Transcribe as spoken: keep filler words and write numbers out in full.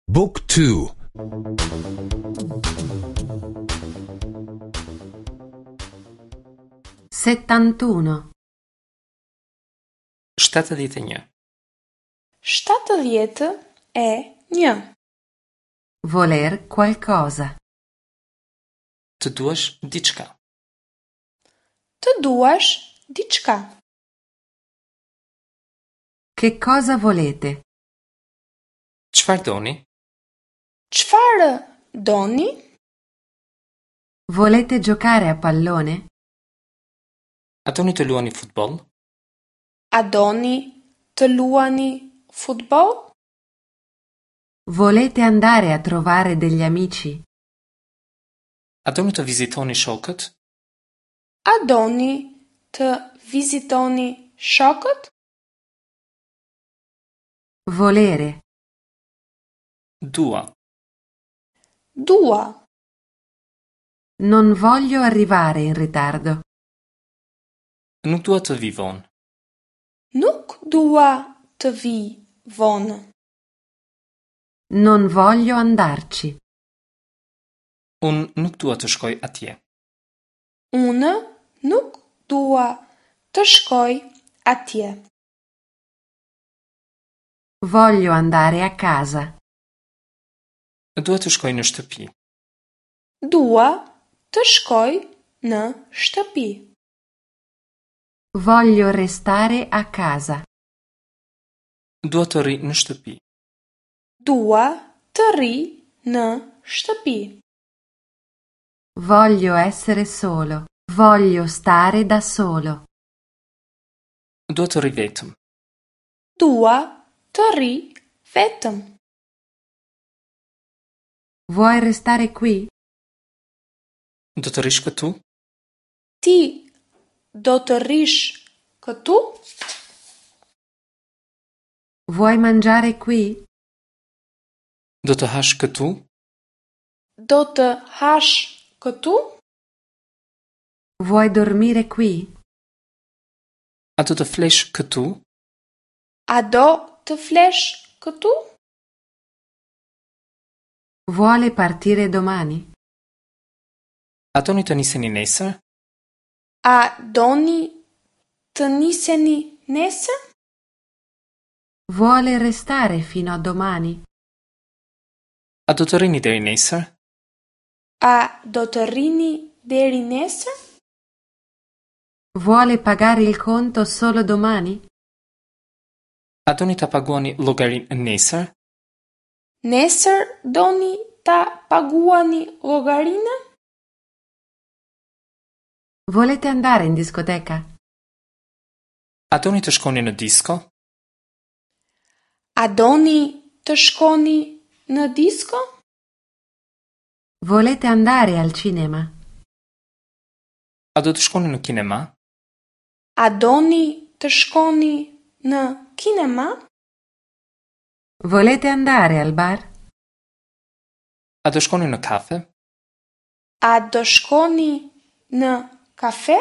Book two. Settantuno. Shtatëdhjetë e një. Shtatëdhjetë e një. Voler qualcosa. Të duash diçka. Të duash diçka. Che cosa volete? Çfarë doni? Çfarë doni? Volete giocare a pallone? A doni të luani futboll? A doni të luani futboll? Volete andare a trovare degli amici? A doni të vizitoni shokët? A doni të vizitoni shokët? Volere. Dua. Dua. Non voglio arrivare in ritardo. Nuk dua të vi vonë. Nuk dua të vi vonë. Non voglio andarci. Unë nuk dua të shkoj atje. Unë nuk dua të shkoj atje. Voglio andare a casa. Dua të shkoj në shtëpi. Dua të shkoj në shtëpi. Voglio restare a casa. Dua të rri në shtëpi. Dua të rri në shtëpi. Voglio essere solo. Voglio stare da solo. Dua të rri vetëm. Dua të rri vetëm. Vuoi restare qui? Do të rrish këtu? Ti do të rrish këtu? Vuoi mangiare qui? Do të hash këtu? Do të hash këtu? Vuoi dormire qui? A do të flesh këtu? A do të flesh këtu? Vuole partire domani? A doni të niseni nesër? A doni të niseni nesër? Vuole restare fino a domani? A do të rrini deri nesër? A do të rrini deri nesër? Vuole pagare il conto solo domani? A doni ta paguani llogarinë nesër? Nesër doni ta paguani llogarinë? Volete andare in discoteca? A doni të shkoni në disko? A doni të shkoni në disko? Volete andare al cinema? A do të shkoni në kinema? A doni të shkoni në kinema? Volete andare al bar? A do shkoni në kafe? A do shkoni në kafe?